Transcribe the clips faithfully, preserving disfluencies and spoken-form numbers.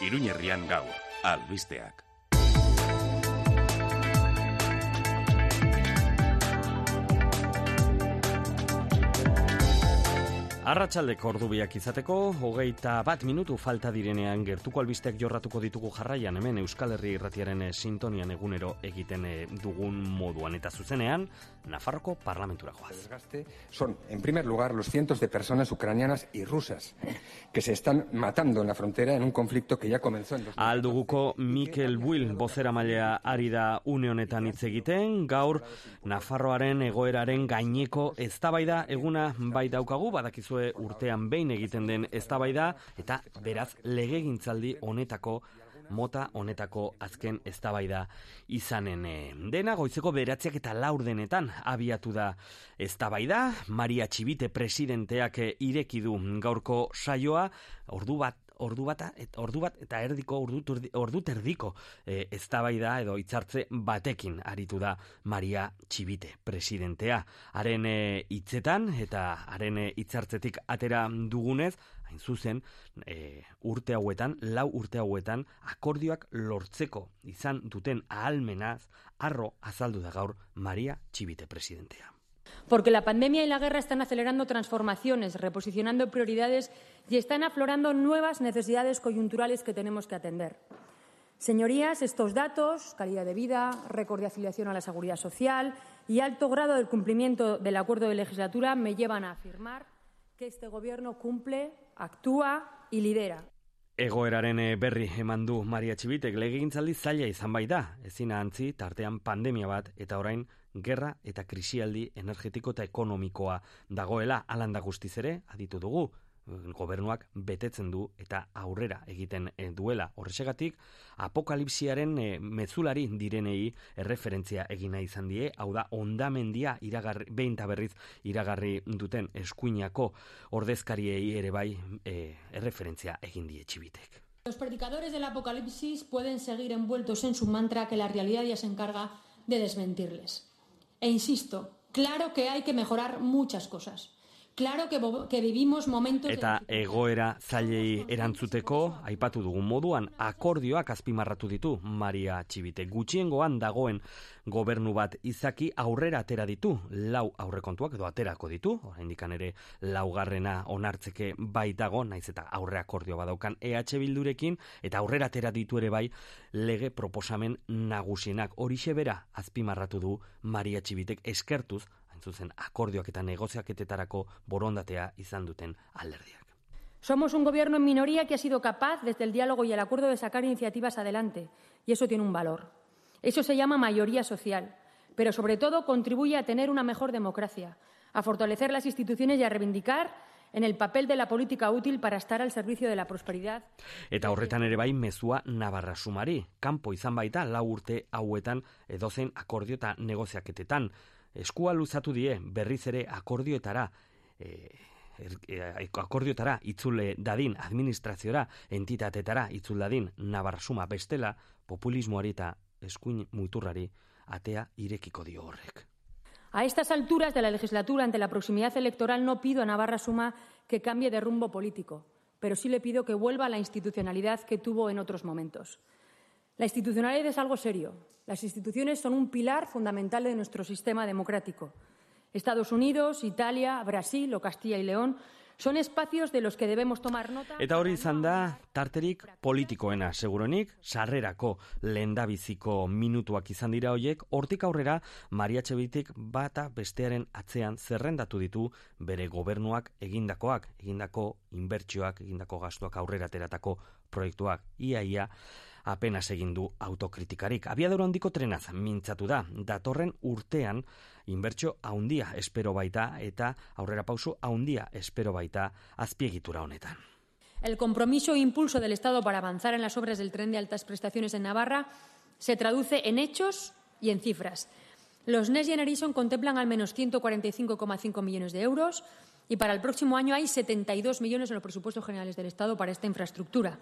Iruñerrian gaur, albisteak. Arratsaldeko ordubiak izateko, hogeita bat minutu falta direnean gertuko albisteak jorratuko ditugu jarraian, hemen Euskal Herri Irratiaren sintonian egunero egiten dugun moduan eta zuzenean, Nafarroko parlamentura joaz. El desgaste son, en primer lugar, los cientos de personas ucranianas y rusas que se están matando en la frontera en un conflicto que ya comenzó en dos mil catorce. Alduguko Mikel Buil bozeramailea ari da une honetan hitz egiten, gaur Nafarroaren egoeraren gaineko eztabaida eguna bai daukagu, badakizu urtean behin egiten den eztabaida eta beraz legegintzaldi honetako mota honetako azken eztabaida izanen dena. Goizeko bederatziak eta laurdenetan abiatu da eztabaida. Maria Txibite presidenteak ireki du gaurko saioa, ordu bat Ordu bat, ordu bat eta erdiko, ordu, ordu terdiko e, eztabaida edo hitzartze batekin aritu da Maria Txibite presidentea. Haren hitzetan eta haren hitzartzetik atera dugunez, hain zuzen, e, urte hauetan, lau urte hauetan, akordioak lortzeko izan duten ahalmenaz, harro azaldu da gaur Maria Txibite presidentea. Porque la pandemia y la guerra están acelerando transformaciones, reposicionando prioridades y están aflorando nuevas necesidades coyunturales que tenemos que atender. Señorías, estos datos, calidad de vida, récord de afiliación a la seguridad social y alto grado del cumplimiento del acuerdo de legislatura me llevan a afirmar que este Gobierno cumple, actúa y lidera. Egoeraren berri eman du Maria Txibitek, legegintzaldi zaila izan bai da, ezin ahantzi tartean pandemia bat eta orain gerra eta krisialdi energetiko eta ekonomikoa dagoela. Alanda guztiz ere, aditu dugu, gobernuak betetzen du eta aurrera egiten duela. Horrexegatik, apokalipsiaren mezulari direnei erreferentzia egina izan die, hau da ondamendia iragarri, behin eta berriz iragarri duten eskuinako ordezkariei ere bai e, erreferentzia egin die Txibitek. Los predicadores del apocalipsis pueden seguir envueltos en su mantra que la realidad ya se encarga de desmentirles. E insisto, claro que hay que mejorar muchas cosas. Claro que, que vivimos momentos... Eta egoera zailei erantzuteko, aipatu dugun moduan, akordioak azpimarratu ditu Maria Txibite. Gutxiengoan dagoen gobernu bat izaki aurrera atera ditu, lau aurrekontuak edo aterako ditu, oraindik ere laugarrena onartzeke bai dago, naiz eta aurre akordio badaukan E H Bildurekin, eta aurrera atera ditu ere bai lege proposamen nagusienak. Horixe bera azpimarratu du Maria Txibitek eskertuz, zuzen akordioak eta negoziaketetarako borondatea izan duten alderdiak. Somos un gobierno en minoría que ha sido capaz desde el diálogo y el acuerdo de sacar iniciativas adelante, y eso tiene un valor. Eso se llama mayoría social, pero sobre todo contribuye a tener una mejor democracia, a fortalecer las instituciones y a reivindicar en el papel de la política útil para estar al servicio de la prosperidad. Eta horretan ere bai mezua nabarra sumari, kanpo izan baita lau urte hauetan edozein akordio eta negoziaketetan. Eskua luzatu die berriz ere akordioetara, e, e, akordioetara itzule dadin administraziora, entitatetara itzul dadin nabarsuma bestela, populismoari eta eskuin muturrari atea irekiko dio horrek. A estas alturas de la legislatura, ante la proximidad electoral, no pido a Navarra Suma que cambie de rumbo político, pero sí le pido que vuelva a la institucionalidad que tuvo en otros momentos. La institucionalidad es algo serio. Las instituciones son un pilar fundamental de nuestro sistema democrático. Estados Unidos, Italia, Brasil o Castilla y León son espacios de los que debemos tomar nota. Eta hori izan da tarterik politikoena, seguronik, sarrerako lehendabiziko minutuak izan dira hoiek, hortik aurrera Maria Txibitek bata bestearen atzean zerrendatu ditu bere gobernuak egindakoak, egindako inbertsioak, egindako gastuak aurrera ateratako proiektuak. Ia ia apenas egin du autokritikarik. Abiadura handiko trenaz mintzatu da. Datorren urtean inbertsio handia espero baita eta aurrera pauso handia espero baita azpiegitura honetan. El compromiso e impulso del Estado para avanzar en las obras del tren de altas prestaciones en Navarra se traduce en hechos y en cifras. Los Next Generation contemplan al menos ciento cuarenta y cinco coma cinco millones de euros y para el próximo año hay setenta y dos millones en los presupuestos generales del Estado para esta infraestructura.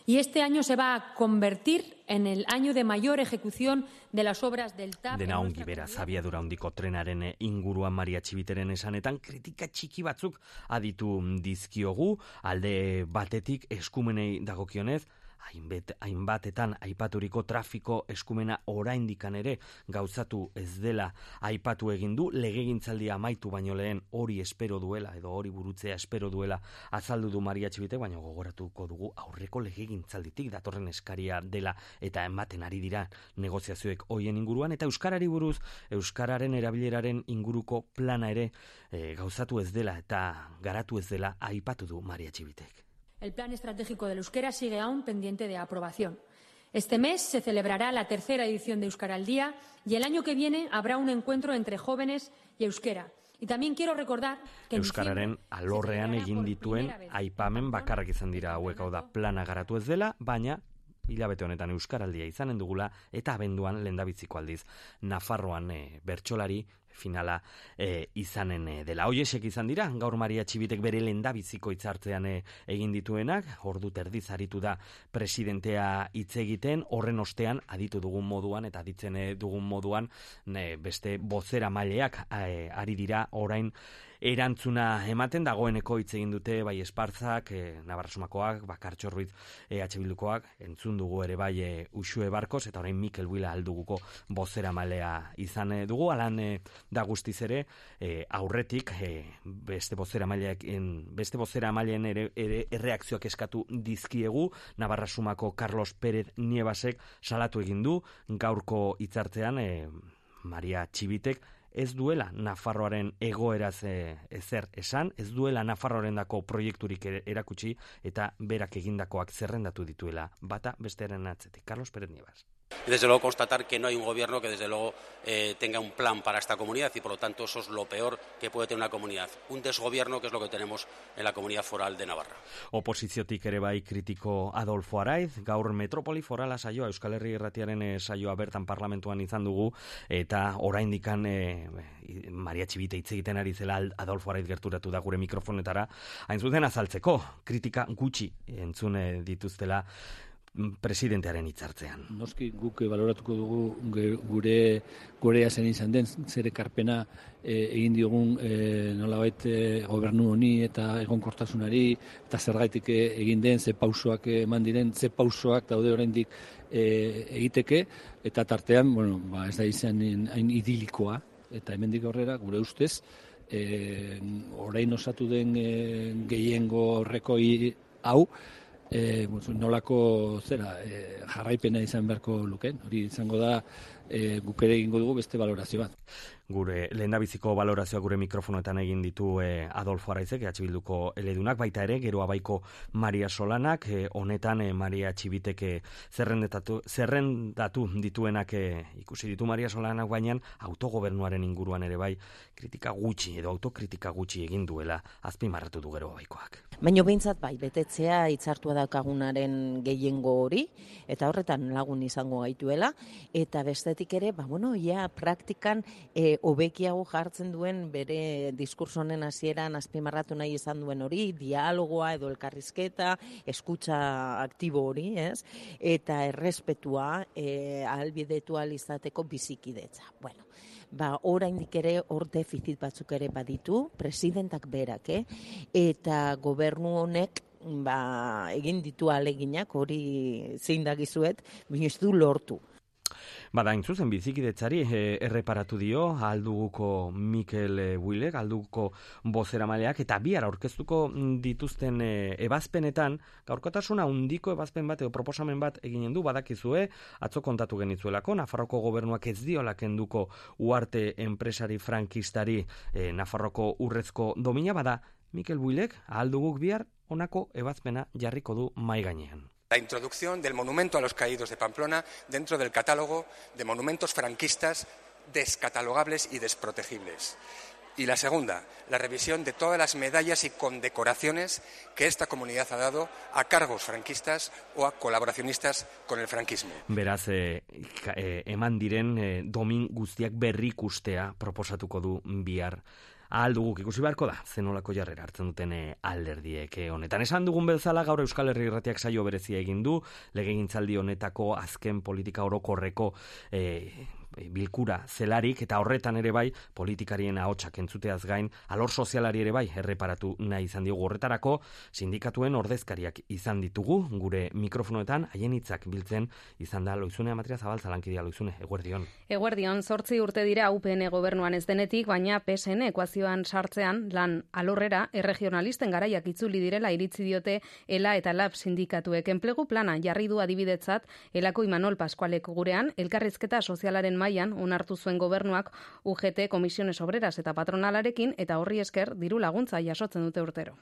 Y este año se va a convertir en el año de mayor ejecución de las obras del T A V. Dena ongi beraz, abiadura handiko trenaren inguruan Maria Txibiteren esanetan kritika txiki batzuk aditu dizkiogu, alde batetik eskumenei dagokionez, hainbat, hainbatetan aipaturiko trafiko eskumena oraindikan ere gauzatu ez dela aipatu egin du, legegintzaldia amaitu baino lehen hori espero duela edo hori burutzea espero duela azaldu du Maria Txibitek, baina gogoratuko dugu aurreko legegintzalditik datorren eskaria dela eta ematen ari dira negoziazioek hoien inguruan, eta euskarari buruz, euskararen erabileraren inguruko plana ere e, gauzatu ez dela eta garatu ez dela aipatu du Maria Txibitek. El plan estratégico del euskera sigue aún pendiente de aprobación. Este mes se celebrará la tercera edición de Euskara al Día y el año que viene habrá un encuentro entre jóvenes y euskera. Y también quiero recordar que euskararen alorrean egin dituen aipamen bakarrak izan dira hauek, hau da plana garatu ez dela, baina hilabete honetan euskaraldia izanen dugula eta abenduan lehendabiziko aldiz Nafarroan e, bertsolari finala e, izanen e, dela. Hoiesek izan dira, gaur Maria Txibitek bere lehendabiziko hitzartzean e, egin dituenak, ordu terdiz aritu da presidentea hitz egiten, horren ostean aditu dugun moduan eta aditzen e, dugun moduan ne, beste bozera maileak e, ari dira orain erantzuna ematen, dagoeneko hitz egin dute bai Espartzak, e, Navarrasumakoak, Bakartxo Ruiz e, H Bildukoak, entzun dugu ere bai e, Uxue Barkos, eta orain Mikel Buila alduguko bozera malea izan e, dugu, alan e, da guztiz ere e, aurretik e, beste bozera maileak beste bozera maileen ere, ere erreakzioak eskatu dizkiegu. Navarrasumako Carlos Pérez Nievasek salatu egin du gaurko hitzartzean e, Maria Txibitek ez duela Nafarroaren egoeraz e, ezer esan, ez duela Nafarroarendako proiekturik erakutsi eta berak egindakoak zerrendatu dituela bata bestearen atzetik. Carlos Pérez Nievas. Desde luego constatar que no hay un gobierno que desde luego eh, tenga un plan para esta comunidad y por lo tanto eso es lo peor que puede tener una comunidad. Un desgobierno que es lo que tenemos en la comunidad foral de Navarra. Oposiziotik ere bai kritiko Adolfo Araiz, gaur metropoli forala saioa, Euskal Herri Irratiaren e, saioa bertan parlamentuan izan dugu eta oraindikan e, Maria Txibite hitz egiten ari zela Adolfo Araiz gerturatu da gure mikrofonetara, hain zuzen azaltzeko, kritika gutxi entzune dituztela presidentearen hitzartzean. Noski guk baloratuko dugu gure gurea zen izan den, zer ekarpena e, egin diogun e, nolabait e, gobernu honi eta egonkortasunari eta zergaitik egin den, ze pausoak eman diren, ze pausoak daude oraindik e, egiteke, eta tartean, bueno, ba, ez da izan hain idilikoa, eta hemendik aurrera gure ustez e, orain osatu den e, gehiengo horreko hau E, nolako zera e, jarraipena izan beharko lukeen, hori izango da e, guk ere egingo dugu beste valorazio bat. Gure lehendabiziko valorazioa gure mikrofonoetan egin ditu e, Adolfo Araizek, E H Bilduko eledunak, baita ere gero abaiko Maria Solanak, e, honetan e, Maria Txibitek e, zerrendatu, zerrendatu dituenak e, ikusi ditu Maria Solanak, baina autogobernuaren inguruan ere bai kritika gutxi edo autokritika gutxi egin duela azpimarratu du gero abaikoak. Baina behintzat bai, betetzea hitzartua daukagunaren gehiengo hori, eta horretan lagun izango gaituela, eta bestetik ere, ba, bueno, ja, praktikan e, hobekiago jartzen duen bere diskurso honen hasieran azpimarratu nahi izan duen hori, dialogoa edo elkarrizketa, eskutza aktibo hori, ez? Eta errespetua e, ahalbidetu ahal izateko bizikidetza. Bueno, ba, oraindik ere hor defizit batzuk ere baditu, presidentak berak, eh? Eta gobernu honek ba, egin ditu ahaleginak, hori zein dagizuet, baina ez du lortu. Bada, intzuzen bizikidetzari e, erreparatu dio alduguko Mikel e, Builek, alduguko bozeramaileak, eta bihar aurkeztuko dituzten e, ebazpenetan, gaurkotasuna handiko ebazpen bat edo proposamen bat eginen du, badakizue, atzo kontatu genitzuelako, Nafarroko gobernuak ez diola kenduko Uarte enpresari frankistari e, Nafarroko urrezko domina, bada, Mikel Builek, alduguk bihar, honako ebazpena jarriko du mai gainean. La introducción del monumento a los caídos de Pamplona dentro del catálogo de monumentos franquistas descatalogables y desprotegibles. Y la segunda, la revisión de todas las medallas y condecoraciones que esta comunidad ha dado a cargos franquistas o a colaboracionistas con el franquismo. Beraz, eh, eh, eman diren eh, domin guztiak berrikustea proposatuko du bihar. Alduguk ikusi beharko da, zenolako jarrera hartzen duten alderdiek honetan. Esan dugun bezala gaur Euskal Herri Irratiak saio berezia egin du, legegintzaldi honetako azken politika orokorreko e, bilkura zelarik, eta horretan ere bai politikarien ahotsak entzuteaz gain alor sozialari ere bai erreparatu nahi izan diogu. Horretarako sindikatuen ordezkariak izan ditugu gure mikrofonoetan, haien hitzak biltzen izan da Loizune Amatria Zabaltza, lankidea. Loizune, eguerdion. Eguerdion, zortzi urte dira U P N gobernuan ez denetik, baina P S N ekuazioan sartzean lan alorrera erregionalisten garaiak itzuli direla iritzi diote ELA eta LAB sindikatuek. Enplegu plana jarri du adibidetzat Elako Imanol Pascualek gurean, elkarrizketa sozialaren mailan onartu zuen gobernuak U G T, Comisiones Obreras eta patronalarekin, eta horri esker diru laguntza jasotzen dute urtero.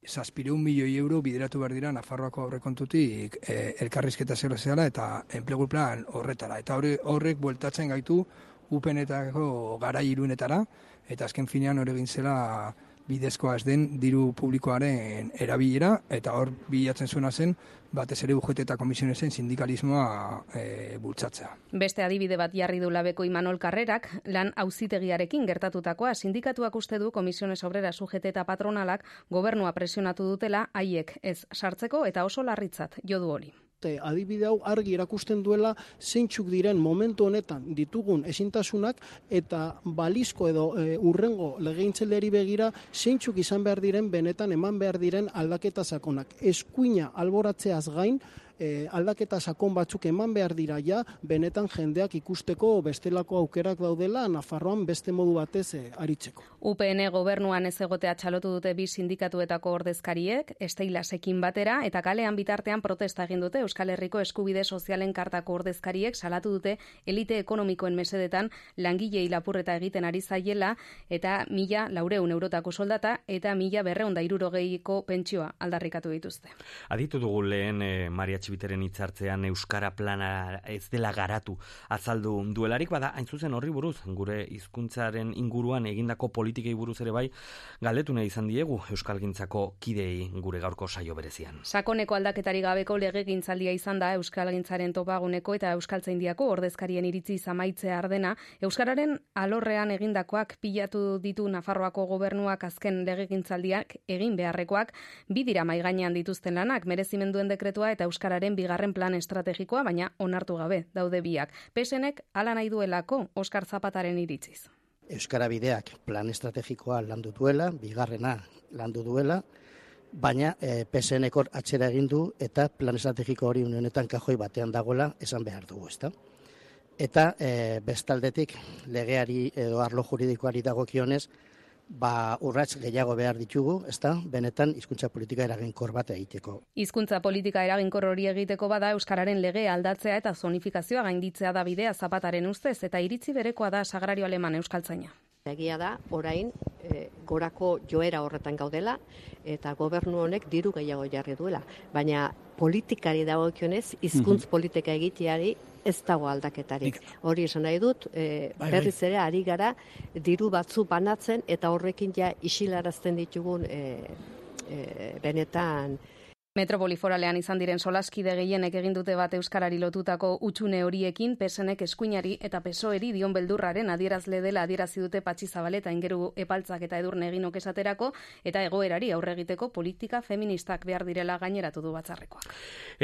Zazpireun milioi euro bideratu behar dira Nafarroako aurrekontutik eh, elkarrizketa soziala eta enplegu plan horretara. Eta horre, horrek bueltatzen gaitu U P N-etako garai iruinetara, eta azken finean hori egin zela bidezkoa ez den diru publikoaren erabilera, eta hor bilatzen zuena zen batez ere U G T eta Komisionesen sindikalismoa e, bultzatzea. Beste adibide bat jarri du Labeko Imanol Karrerak, lan auzitegiarekin gertatutakoa. Sindikatuak uste du Comisiones Obreras, U G T eta patronalak gobernua presionatu dutela haiek ez sartzeko, eta oso larritzat jo du hori. Adibide hau argi erakusten duela zeintzuk diren momentu honetan ditugun ezintasunak, eta balizko edo e, urrengo legegintzaldiari begira zeintzuk izan behar diren benetan eman behar diren aldaketa sakonak. Eskuina alboratzeaz gain, E, aldaketa sakon batzuk eman behar dira ja, benetan jendeak ikusteko bestelako aukerak daudela Nafarroan beste modu batez e, aritzeko. U P N gobernuan ez egotea txalotu dute bi sindikatuetako ordezkariek, Esteilasekin batera, eta kalean bitartean protesta egin dute Euskal Herriko Eskubide Sozialen Kartako ordezkariek salatu dute elite ekonomikoen mesedetan langilei lapurreta egiten ari zaiela, eta mila laureun eurotako soldata eta mila berreun da hirurogeiko pentsioa aldarrikatu dituzte. Aditu dugu lehen eh, Maria Biteren hitzartzean euskara plana ez dela garatu azaldu duelarik, bada hain zuzen horri buruz, gure hizkuntzaren inguruan egindako politikei buruz ere bai galdetu nahi izan diegu euskalgintzako kideei gure gaurko saio berezian. Sakoneko aldaketari gabeko legegintzaldia izan da euskalgintzaren topaguneko eta euskaltzaindiako ordezkarien iritzi amaitzea ardena. Euskararen alorrean egindakoak pilatu ditu Nafarroako gobernuak azken legegintzaldiak egin beharrekoak, bi dira mahai gainean dituzten lanak, merezimenduen dekretua eta euskara bigarren plan estrategikoa, baina onartu gabe daude biak. P S Nek hala nahi duelako, Oskar Zapataren iritziz. Euskara bideak plan estrategikoa landu duela, bigarrena landu duela, baina e, P S Nek hor atxera egin du eta plan estrategiko hori honetan kajoi batean dagoela esan behar dugu, ezta? Eta e, bestaldetik legeari edo arlo juridikoari dagokionez, ba urrats gehiago behar ditugu, ezta? Benetan hizkuntza politika eraginkor bat egiteko. Hizkuntza politika eraginkor hori egiteko bada euskararen legea aldatzea eta zonifikazioa gainditzea da bidea Zapataren ustez, eta iritzi berekoa da Sagrario Aleman euskaltzaina. Egia da, orain e, gorako joera horretan gaudela eta gobernu honek diru gehiago jarri duela, baina politikari dagokionez hizkuntz politika egiteari ez dago aldaketarik. Hori esan nahi dut, e, berriz ere ari gara diru batzu banatzen eta horrekin ja isilarazten ditugun e, e, benetan Metropoli foralean izan diren solaskide gehienek egin dute bat euskarari lotutako hutsune horiekin, P S Nek eskuinari eta P S O E-ri dion beldurraren adierazle dela adierazi dute Patxi Zabaleta Ingeru Epaltzak eta Edurne Eginok esaterako, eta egoerari aurre egiteko politika feministak behar direla gaineratu du batzarrekoak.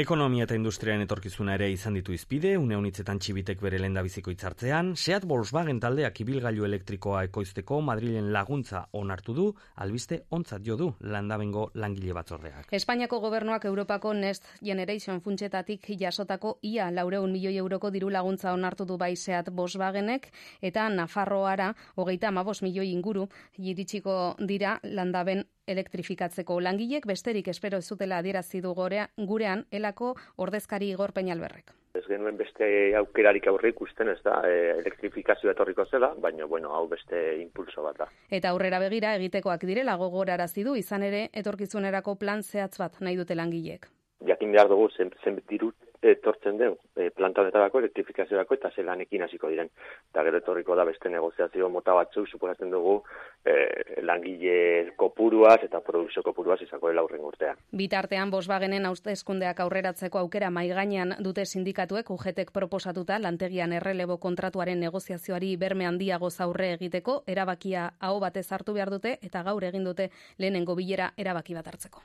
Ekonomia eta industriaren etorkizuna ere izan ditu izpide, une honitzetan Txibitek bere lehendabiziko hitzartzean, Seat Volkswagen taldeak ibilgailu elektrikoa ekoizteko Madrilen laguntza onartu du, albiste ontzat jo du Landabengo langile batzordeak. Espainiako gobernuak Europako Next Generation funtsetatik jasotako ia laurehun milioi euroko diru laguntza onartu du bai Seat Volkswagenek, eta Nafarroara hogeita hamabost milioi inguru iritsiko dira Landaben elektrifikatzeko. Langilek besterik espero ez zutela adierazi du gurean Elako ordezkari Igor Peñalberrek. Ez genuen beste aukerarik aurre ikusten, ez da, e, elektrifikazioa etorriko zela, baina bueno, hau beste impulso bat da. Eta aurrera begira egitekoak direla gogorarazi du, izan ere etorkizunerako plan zehatz bat nahi dute langileek. Jakin behar dugu zen, zen diru etortzen den e, planta honetarako, elektrifikaziorako eta zelanekin hasiko diren. Eta gero etorriko da beste negoziazio mota batzuk, suposatzen dugu e, langile kopuruaz eta produkzio kopuruaz izako dela aurren urtean. Bitartean Volkswagenen hauteskundeak aurreratzeko aukera mahai gainean dute sindikatuek U G Tek proposatuta lantegian errelebo kontratuaren negoziazioari berme handiago aurre egiteko erabakia aho batez hartu behar dute, eta gaur egin dute lehenengo bilera erabaki bat hartzeko.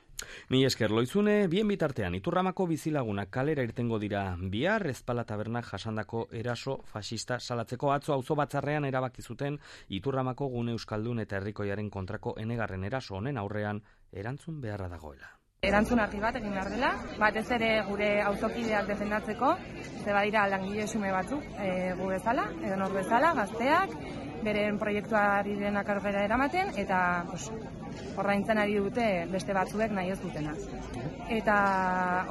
Ni esker Loizune, bien bitartean Iturramako bizilagunak kalera irtengo egingo dira bihar, Ezpala tabernak jasandako eraso fascista salatzeko. Atzo auzo batzarrean erabaki zuten Iturramako gune euskaldun eta herrikoiaren kontrako enegarren eraso honen aurrean erantzun beharra dagoela. Erantzun argi bat egin behar dela, batez ere gure auzokideak defendatzeko, ze badira langile xume batzuk, e, gu bezala, edo nor bezala, gazteak, beren proiektuari denak aurrera eramaten, eta pues, ordaintzen ari dute beste batzuek nahi ez dutena. Eta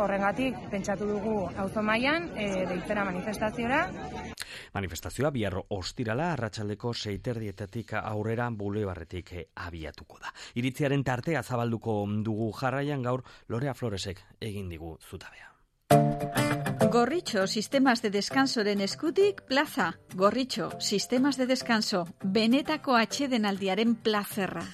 horrengatik pentsatu dugu auzo mailan e, deitzera manifestaziora. Manifestazioa bihar ostirala arratsaldeko seiterdietatik aurrera bulebarretik abiatuko da. Iritziaren tartea zabalduko dugu jarraian gaur Lorea Floresek egin digu zutabea. Gorritxo, sistemas de descansoren eskutik, plaza. Gorritxo, sistemas de descanso, benetako atsedenaldiaren plazerra.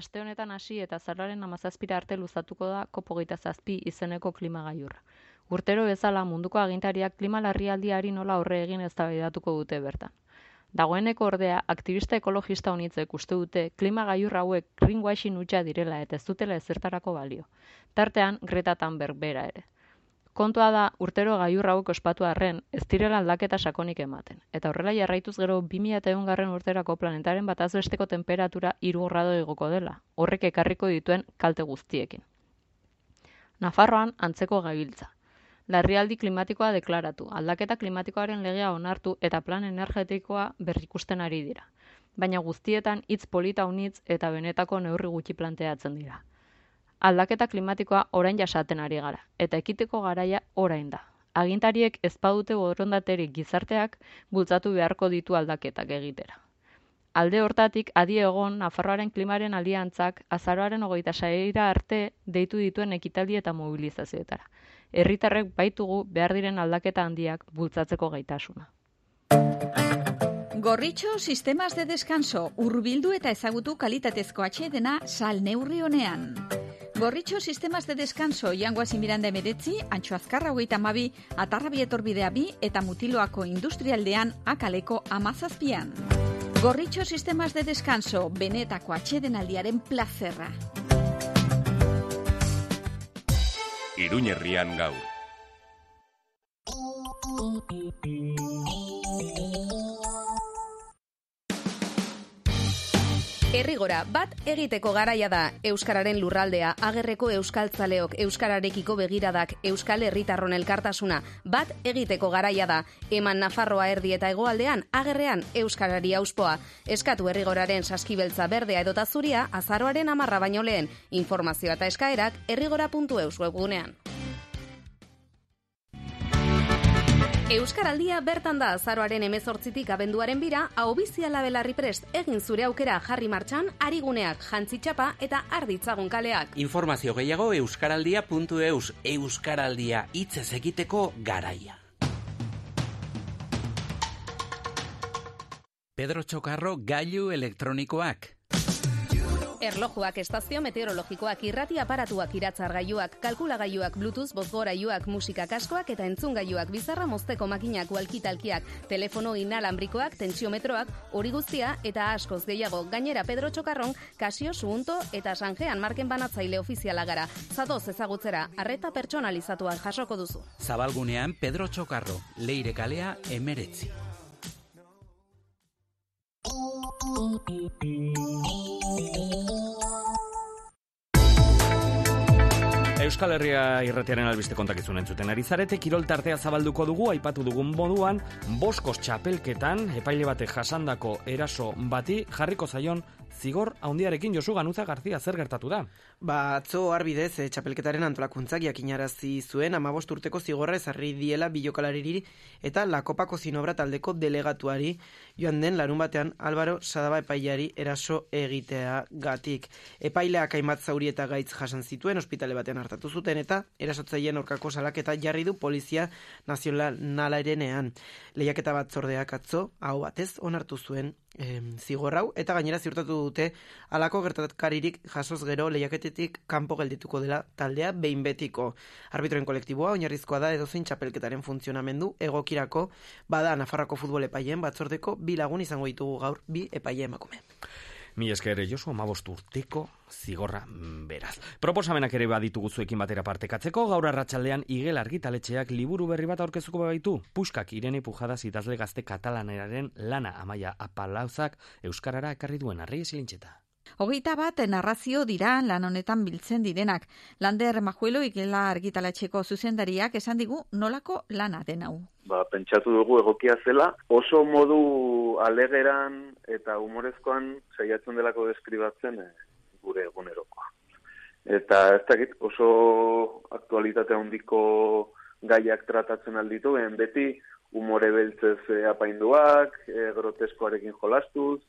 Aste honetan hasi eta azaroaren hamazazpira arte luzatuko da kopo hogeita zazpi izeneko klimagailurra. Urtero bezala munduko agintariak klima larrialdiari nola aurre egin eztabaidatuko dute bertan. Dagoeneko ordea, aktivista ekologista unitzek uste dute klima gailur hauek greenwashing hutsa direla eta ez dutela ezertarako balio. Tartean, Greta Thunberg bera ere. Kontua da, urtero gailur hauek ospatu arren, ez direla aldaketa sakonik ematen. Eta horrela jarraituz gero bi mila ehungarren urterako planetaren bataz besteko temperatura hiru grado igoko dela, horrek ekarriko dituen kalte guztiekin. Nafarroan antzeko gabiltza. Larrialdi klimatikoa deklaratu, aldaketa klimatikoaren legea onartu eta plan energetikoa berrikusten ari dira. Baina guztietan hitz polita unitz eta benetako neurri gutxi planteatzen dira. Aldaketa klimatikoa orain jasaten ari gara, eta ekiteko garaia orain da. Agintariek ez badute borondaterik gizarteak bultzatu beharko ditu aldaketak egitera. Alde hortatik, adi egon Nafarroaren klimaren aliantzak azaroaren hogeita seira arte deitu dituen ekitaldi eta mobilizazioetara. Herritarrek baitugu behar diren aldaketa handiak bultzatzeko gaitasuna. Gorritxo, sistemas de descanso, hurbildu eta ezagutu kalitatezko atsedena sal neurri honean. Gorritxo, sistemas de descanso, Jangoasi Miranda emeretzi, Antxo Azkarra hogeita hamabi, Atarrabi etorbidea bi eta Mutiloako industrialdean akaleko amazazpian. Gorritxo, sistemas de descanso, benetako atsedenaldiaren plazerra. Iruñerrian gaur. Herrigora, bat egiteko garaia da. Euskararen lurraldea, agerreko euskaltzaleok, euskararekiko begiradak, euskal herritarron elkartasuna. Bat egiteko garaia da. Eman Nafarroa erdi eta hegoaldean, agerrean euskarari auspoa. Eskatu Herrigoraren saskibeltza berdea edota zuria, azaroaren hamarra baino lehen. Informazioa eta eskaerak herrigora puntu eus webgunean. Euskaraldia bertan da azaroaren hemezortzitik abenduaren bira, ahobiziala belarri prest, egin zure aukera jarri martxan, ariguneak, jantzitxapa eta arditzagun kaleak. Informazio gehiago euskaraldia puntu eus, Euskaraldia hitzez egiteko garaia. Pedro Txokarro gailu elektronikoak. Erlojuak, estazio meteorologikoak, irrati aparatuak, iratzargailuak, kalkulagailuak, bluetooth, bozgorailuak, musika kaskoak eta entzungailuak, bizarra mozteko makinak, walkitalkiak, telefono inalambrikoak, tentsiometroak, hori guztia eta askoz gehiago. Gainera Pedro Txokarron, Casio, Suunto eta Sanjean marken banatzaile ofiziala gara. Zadoz ezagutzera, arreta pertsonalizatuan jasoko duzu. Zabalgunean Pedro Txokarro, Leire kalea emeretzi. Euskal Herria irratiaren albiste kontakizun entzuten ari zarete, kirol tartea zabalduko dugu, aipatu dugun moduan, boskos txapelketan, epaile batek jasandako eraso bati, jarriko zaion zigor handiarekin. Josu Ganuza Garzia, zer gertatu da? Ba, atzo arbidez, e, txapelketaren antolakuntzak jakinarazi zuen amabost urteko zigorra ezarri diela bilokalariri eta Lakopako zinobra taldeko delegatuari joan den larun batean Álvaro Sadaba epaileari eraso egitea gatik. Epaileak hainbat zauri eta gaitz jasan zituen, ospitale batean hartatu zuten eta erasotzaileen aurkako salaketa jarri du Polizia Nazionalarenean. Lehiaketa batzordeak atzo, hau batez, onartu zuen e, zigorrau eta gainera ziurtatu dute halako gertakaririk jasoz gero lehiaketetik kanpo geldituko dela taldea behin betiko. Arbitroen kolektiboa oinarrizkoa da edozein txapelketaren funtzionamendu egokirako, bada Nafarroako futbol epaileen batzordeko bi lagun izango ditugu gaur bi epaile emakume. Mi esker Josu, hamabost urteko zigorra beraz. Proposamenak ere baditugu zuekin batera partekatzeko, gaur arratsaldean Igel argitaletxeak liburu berri bat aurkeztuko baitu. Puskak Irene Pujadas idazle gazte katalaneraren lana Amaia Apalauzak euskarara ekarri duen arri esilintxeta. Hogeita bat narrazio dira lan honetan biltzen direnak. Lander Majuelo Igela argitaletxeko zuzendariak esan digu nolako lana den hau. Ba, pentsatu dugu egokia zela, oso modu alegeran eta humorezkoan saiatzen delako deskribatzen eh, gure egunerokoa. Eta ez dakit oso aktualitate handiko gaiak tratatzen alditu, ben beti humore beltzez eh, apainduak, eh, groteskoarekin jolastuz,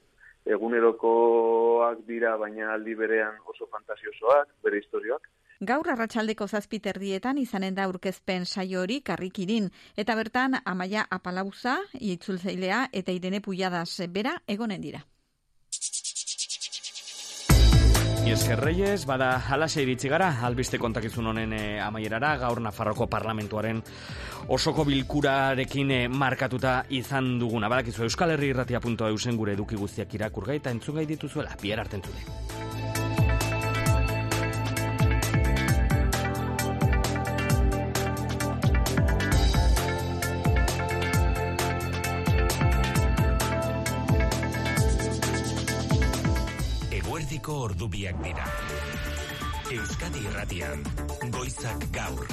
egunerokoak dira, baina aldi berean oso fantasiosoak, bere historioak. Gaur arratsaldeko zazpiterdietan izanen da aurkezpen saio hori Karrikirin, eta bertan Amaia Apalauza, itzultzailea eta Irene Pujadas bera egonen dira. Esker Reyes, bada halaxe iritsi gara, albiste kontakizun honen e, amaierara, gaur Nafarroko Parlamentuaren osoko bilkurarekin e, markatuta izan duguna. Badakizu Euskal Herri Irratia puntu eusen gure eduki guztiak irakurgai eta entzungai dituzuela, bihar arte entzule. Ordubiak dira. Euskadi Irratian, goizak gaur.